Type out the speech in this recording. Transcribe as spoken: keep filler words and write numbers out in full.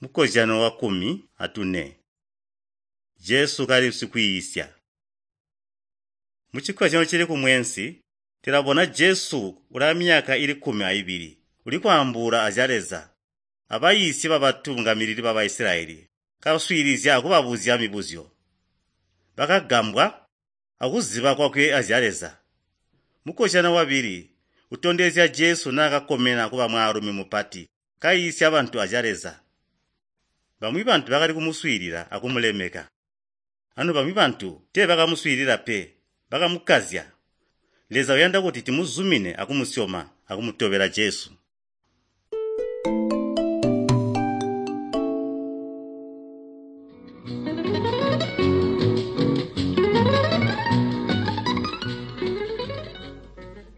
Mukozyano wakkumi atune. Jesu kali sikwiisya. Muchikozyano cili kumweensi, tulabona Jesu ulaamyaka ili kkumi ayibili ulikwaambuula azya Leza abayiisyi babatungamilili ba Baisilayeli kaswiilizya akubabuzya mibuzyo. Bakagambwa akuziba kwakwe azya Leza. Mukozyano wabili utondezya Jesu naakakomena kuba mwaalumi mupati kayiisya bantu azya Leza. Bamwi bantu bakali kumuswiilila akumulemeka. Anu bamwi bantu teebakamuswiilila pe, bakamukazya. Leza uyanda kuti tumuzumine akumusyoma akumutobela Jesu.